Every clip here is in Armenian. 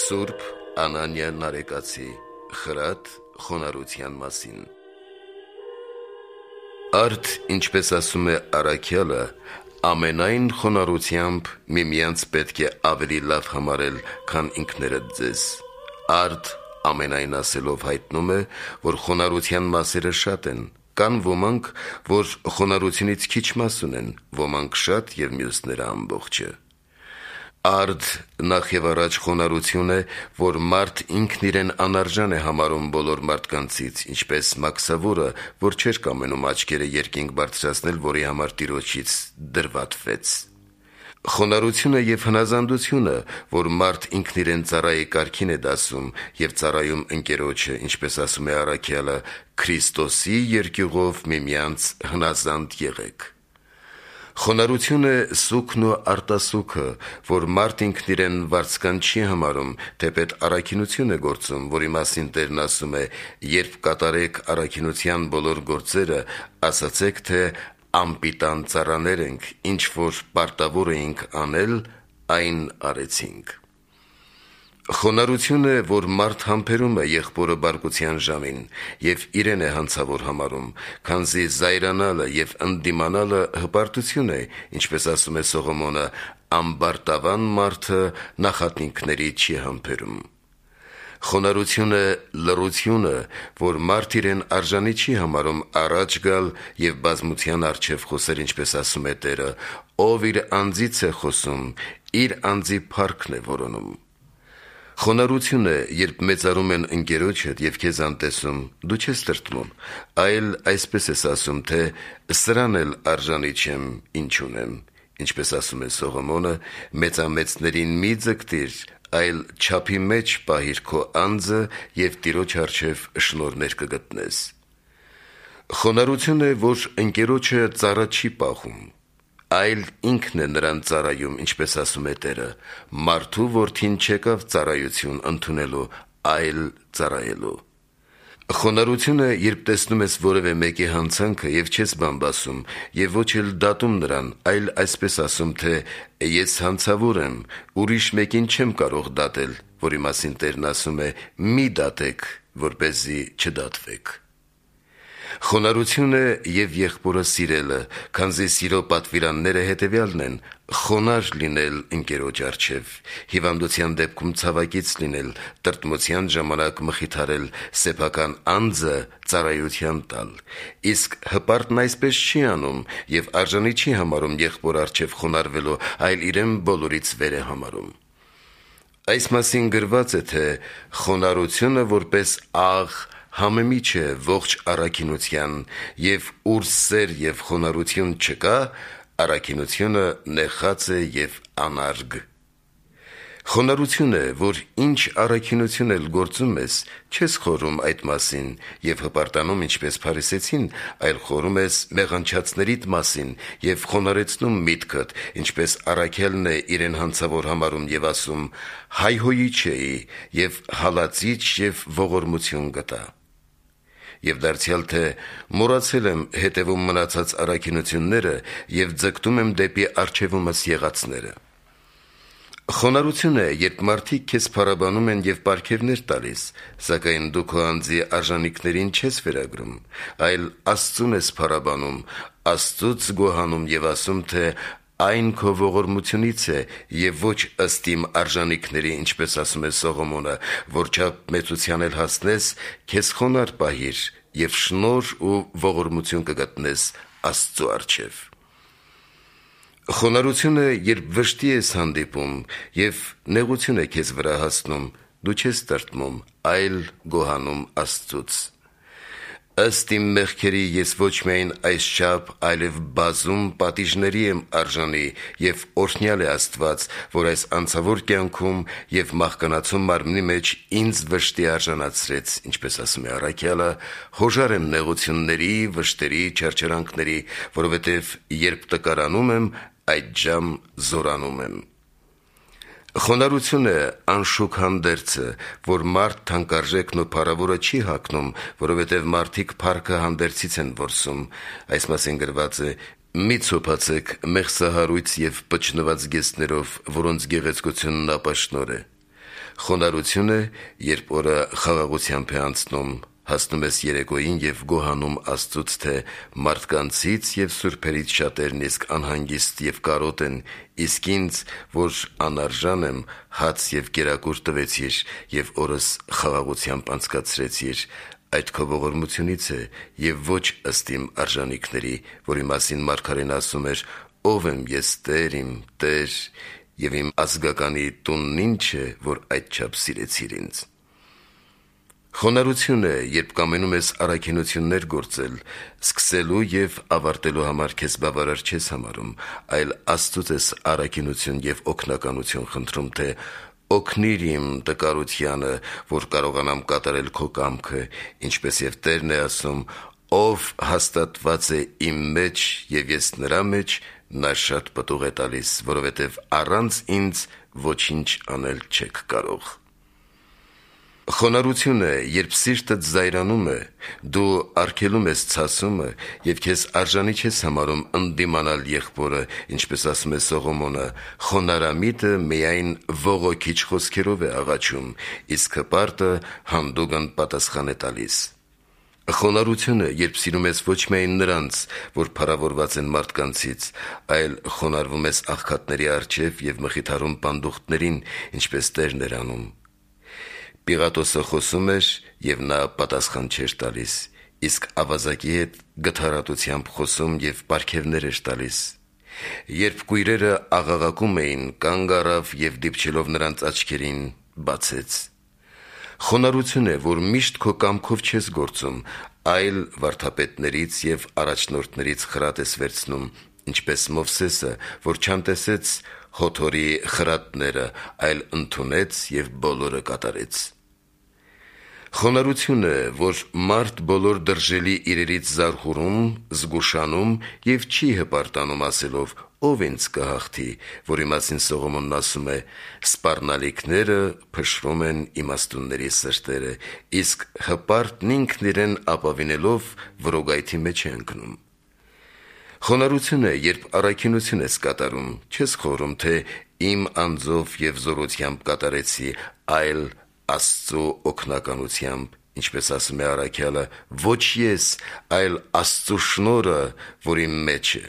Սուրբ Անանիա Նարեկացի խրատ խոնարհության մասին։ Արդ, ինչպես ասում է առաքյալը, ամենայն խոնարհությամբ միմյանց պետք է ավելի լավ համարել, քան ինքներդ ձեզ։ Արդ ամենայն ասելով հայտնում է, որ խոնարհության մասերը շատ են, կան ոմանք, որ խոնարհությունից քիչ մաս ունեն, ոմանք շատ և մյուսները ամբողջը։ Արդ նախ և առաջ խոնարհություն է, որ մարդ ինքն իրեն անարժան է համարում բոլոր մարդկանցից, ինչպես մաքսավորը, որ չէր կամենում աչքերը երկինք բարձրացնել, որի համար Տիրոջից դրվատվեց։ Խոնարհությունը և հնազանդությունը, որ մարդ ինքն իրեն ծառայի կարգին է դասում և ծառայում ընկերոջը, ինչպես ասում է առաքյալը, Քրիստոսի երկյուղով միմյանց հնազանդ եղեք։ Խոնարհությունը սուգն ու արտասուքը, որ մարդ ինքն իրեն վարձկան չի համարում, թեպետ առաքինություն է գործում, որի մասին Տերն ասում է. «Երբ կատարեք առաքինության բոլոր գործերը, ասացեք, թե անպիտան ծառաներ ենք, ինչ որ պարտավոր էինք անել, այն արեցինք»։ Խոնարհությունը, որ մարդ համբերում է եղբորը բարկության ժամին և իրեն է հանցավոր համարում, քանզի զայրանալը և ընդդիմանալը հպարտություն է, ինչպես ասում է Սողոմոնը, ամբարտավան մարդը նախատինքների չի համբերում։ Խոնարհությունը լռությունը, որ մարդ իրեն արժանի չի համարում առաջ գալ և բազմության առջև խոսել, ինչպես ասում է Տերը, ով իր անձից է խոսում, իր անձի փառքն է որոնում։ Խոնարհություն է, երբ մեծարում են ընկերոջդ և քեզ անտեսում, դու չես տրտմում, այլ այսպես ես ասում, թե սրան էլ արժանի չեմ, ինչ ունեմ, ինչպես ասում է Սողոմոնը, մեծամեծներին մի ձգտիր, այլ չափի մեջ պահիր քո անձը և Տիրոջ առջև շնորհներ կգտնես։ Խոնարհություն է, որ ընկերոջը ծառա չի պահում, այլ ինքն է նրան ծառայում, ինչպես ասում է Տերը, մարդու որդին չեկավ ծառայություն ընդունելու, այլ ծառայելու։ Խոնարհություն է, երբ տեսնում ես որևէ մեկի հանցանքը և չես բամբասում և ոչ էլ դատում նրան, այլ այսպես ասում, թե ես հանցավոր եմ, ուրիշ մեկին չեմ կարող դատել, որի մասին Տերն ասում է. «Մի դատեք, որպեսզի չդատվեք»։ Խոնարհություն է և եղբորը սիրելը, քանզի սիրո պատվիրանները հետևյալն են. խոնարհ լինել ընկերոջ առջև, հիվանդության դեպքում ցավակից լինել, տրտմության ժամանակ մխիթարել, սեփական անձը ծառայության տալ։ Իսկ հպարտն այսպես չի անում և արժանի չի համարում եղբոր առջև խոնարհվելու, այլ իրեն բոլորից վեր է համարում։ Այս մասին գրված է, թե խոնարհությունը որպես աղ համեմիջ է ողջ առաքինության, և ուր սեր և խոնարհություն չկա, առաքինությունը նեխած է և անարգ։ Խոնարհություն է, որ ինչ առաքինություն էլ գործում ես, չես խորհում այդ մասին և հպարտանում, ինչպես փարիսեցին, այլ խորհում ես մեղանչածներիդ մասին և խոնարհեցնում միտքդ, ինչպես առաքյալն է իրեն հանցավոր համարում և ասում. «Հայհոյիչ էի և հալածիչ և ողորմություն գտա»։ Եվ դարձյալ թե մոռացել եմ հետևում մնացած առաքինությունները և ձգտում եմ դեպի առջևումս եղածները։ Խոնարհություն է, երբ մարդիկ քեզ փառաբանում են և պարգևներ տալիս, սակայն դու քո անձի արժանիքներին չես վերագրում, այլ Աստծուն ես փառաբանում, Աստծուց գոհանում և ասում, թե այն քո ողորմությունից է և ոչ ըստ իմ արժանիքների, ինչպես ասում է Սողոմոնը, որչափ մեծության էլ հասնես, քեզ խոնարհ պահիր և շնորհ ու ողորմություն կգտնես Աստծու առջև։ Խոնարհություն է, երբ վշտի ես հանդիպում և նեղություն է քեզ վրա հասնում, դու չես տրտմում, այլ գոհանում Աստծուց։ Ըստ իմ մեղքերի ես ոչ միայն այսչափ, այլև բազում պատիժների եմ արժանի և օրհնյալ է Աստված, որ այս անցավոր կյանքում և մահկանացու մարմնի մեջ ինձ վշտի արժանացրեց, ինչպես ասում է առաքյալը, հոժար եմ նեղությունների, վշտերի, չարչարանքների, որովհետև երբ տկարանում եմ, այդժամ զորանում եմ։ Խոնարհություն է անշուք հանդերձը, որ մարդ թանկարժեքն ու փառավորը չի հագնում, որովհետև մարդիկ փառքը հանդերձից են որսում։ Այս մասին գրված է. «Մի ցոփացեք մեղսահարույց և պճնված գեստներով, որոնց գեղեցկությունն ապաշնոր է»։ Խոնարհություն է, երբ օրը խաղաղությամբ է անցնում, հասնում ես երեկոյին և գոհանում Աստծուց, թե մարդկանցից և սուրբերից շատերն իսկ անհանգիստ և կարոտ են, իսկ ինձ, որ անարժան եմ, հաց և կերակուր տվեցիր և օրս խաղաղությամբ անցկացրեցիր։ Այդ քո ողորմությունից է և ոչ ըստ իմ արժանիքների, որի մասին մարգարեն ասում էր. «Ով եմ ես, Տեր իմ, Տեր, և իմ ազգականի տունն ինչ է, որ այդչափ սիրեցիր ինձ»։ Խոնարհություն է, երբ կամենում ես առաքինություններ գործել, սկսելու և ավարտելու համար քեզ բավարար չես համարում, այլ Աստծուց ես առաքինություն և օգնականություն խնդրում, թե օգնիր իմ տկարությանը, որ կարողանամ կատարել քո կամքը, ինչպես և Տերն է ասում. «Ով հաստատված է իմ մեջ և ես նրա մեջ, նա շատ պտուղ է տալիս, որովհետև առանց ինձ ոչինչ անել չեք կարող»։ Խոնարհություն է, երբ սիրտդ զայրանում է, դու արգելում ես ցասումը և քեզ արժանի չես համարում ընդդիմանալ եղբորը, ինչպես ասում է Սողոմոնը. «Խոնարհամիտը միայն ողոքիչ խոսքերով է աղաչում, իսկ հպարտը հանդուգն պատասխան է տալիս»։ Խոնարհություն է, երբ սիրում ես ոչ միայն նրանց, որ փառավորված են մարդկանցից, այլ խոնարհվում ես աղքատների առջև և մխիթարում պանդուխտներին, ինչպես Տերն էր անում։ Պիղատոսը խոսում էր, և նա պատասխան չէր տալիս, իսկ ավազակի հետ գթառատությամբ խոսում և պարգևներ էր տալիս։ Երբ կույրերը աղաղակում էին, կանգ առավ և դիպչելով նրանց աչքերին, բացեց։ Խոնարհություն է, որ միշտ քո կամքով չես գործում, այլ վարդապետներից և առաջնորդներից խրատ ես վերցնում, ինչպես Մովսեսը, որ չանտեսեց Յոթորի խրատները, այլ ընդունեց և բոլորը կատարեց։ Խոնարհություն է, որ մարդ բոլոր դրժելի իրերից զարհուրում, զգուշանում և չի հպարտանում ասելով. «Ով ինձ կհաղթի», որի մասին Սողոմոնն ասում է. «Սպառնալիքները փշրում են իմաստունների սրտերը, իսկ հպարտն ինքն իրեն ապավինելով որոգայթի մեջ է ընկնում»։ Խոնարհություն է, երբ առաքինություն ես կատարում, չես խորհում, թե իմ անձով և զորությամբ կատարեցի, այլ Աստծո օգնականությամբ, ինչպես ասում է առաքյալը. «Ոչ ես, այլ Աստծո շնորհը, որ իմ մեջ է»։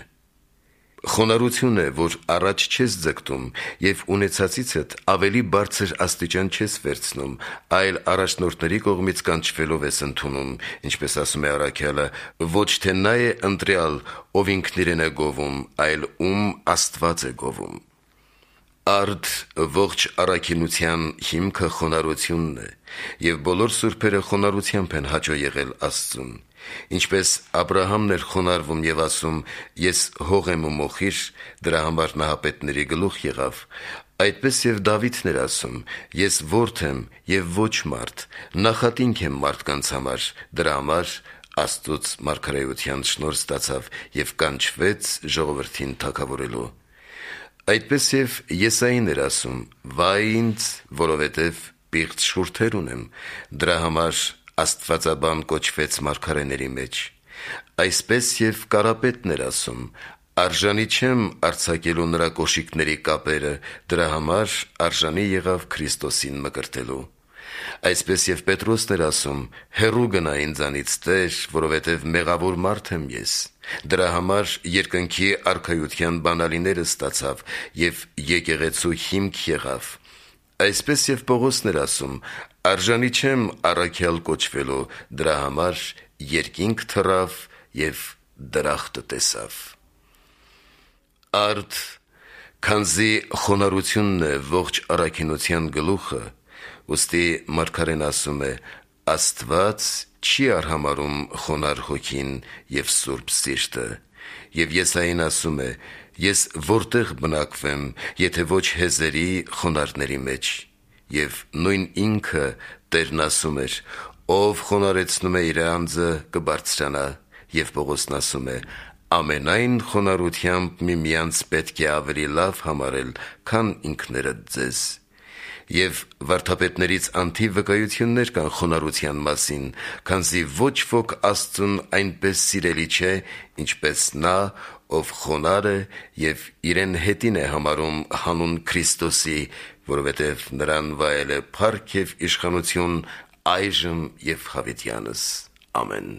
Խոնարհություն է, որ առաջ չես ձգտում և ունեցածիցդ ավելի բարձր աստիճան չես վերցնում, այլ առաջնորդների կողմից կանչվելով ես ընդունում, ինչպես ասում է առաքյալը. «Ոչ թե նա է ընտրյալ, ով ինքն իրեն է գովում, այլ ում Աստված է գովում»։ Արդ ողջ առաքինության հիմքը խոնարհությունն է, և բոլոր սուրբերը խոնարհությամբ են հաճո եղել Աստծուն։ Ինչպես Աբրահամն էր խոնարհվում և ասում. «Ես հող եմ ու մոխիր», դրա համար նահապետների գլուխ եղավ, այդպես և Դավիթն էր ասում. «Ես որդի եմ և ոչ մարդ, նախատինք եմ մարդկանց համար», դրա համար Աստծուց մարգարեության շնորհ ստացավ և կանչվեց ժողովրդին թագավորելու։ Այդպես և Եսային էր ասում. «Վայ ինձ, որովհետև պիղծ շուրթեր ունեմ», դրա համար աստվածաբան կոչվեց մարգարեների մեջ։ Այսպես և Կարապետն էր ասում. «Արժանի չեմ արձակելու նրա կոշիկների կապերը», դրա համար արժանի եղավ Քրիստոսին մկրտելու։ Այսպես և Պետրոսն էր ասում. «Հեռու գնա ինձանից, Տեր, որովհետև մեղավոր մարդ եմ ես», դրա համար երկնքի արքայության բանալիները ստացավ և եկեղեցու հիմք եղավ։ Այսպես և Պողոսն էր ասում. «Արժանի չեմ առաքյալ կոչվելու», դրա համար երկինք թռավ և դրախտը տեսավ։ Արդ, քանզի խոնարհությունն է ողջ առաքինության գլուխը, ուստի մարգարեն ասում է. «Աստված չի արհամարհում խոնարհ հոգին և սուրբ սիրտը»։ Եվ Եսային ասում է. «Ես որտե՞ղ բնակվեմ, եթե ոչ հեզերի խոնարհների մեջ»։ Եվ նույն ինքը Տերն ասում էր. «Ով խոնարհեցնում է իր անձը, կբարձրանա»։ Եվ Պողոսն ասում է. «Ամենայն խոնարհությամբ միմյանց պետք է ավելի լավ համարել, քան ինքներդ ձեզ»։ Եվ վարդապետներից անթիվ վկայություններ կան խոնարհության մասին, քանզի ոչ ոք Աստծուն այնպես սիրելի չէ, ինչպես նա, ով խոնար է եւ իրեն հետին է համարում հանուն Քրիստոսի, որովհետեւ նրան վայել է փառք եւ իշխանություն այժմ եւ հավիտյանս։ Ամեն։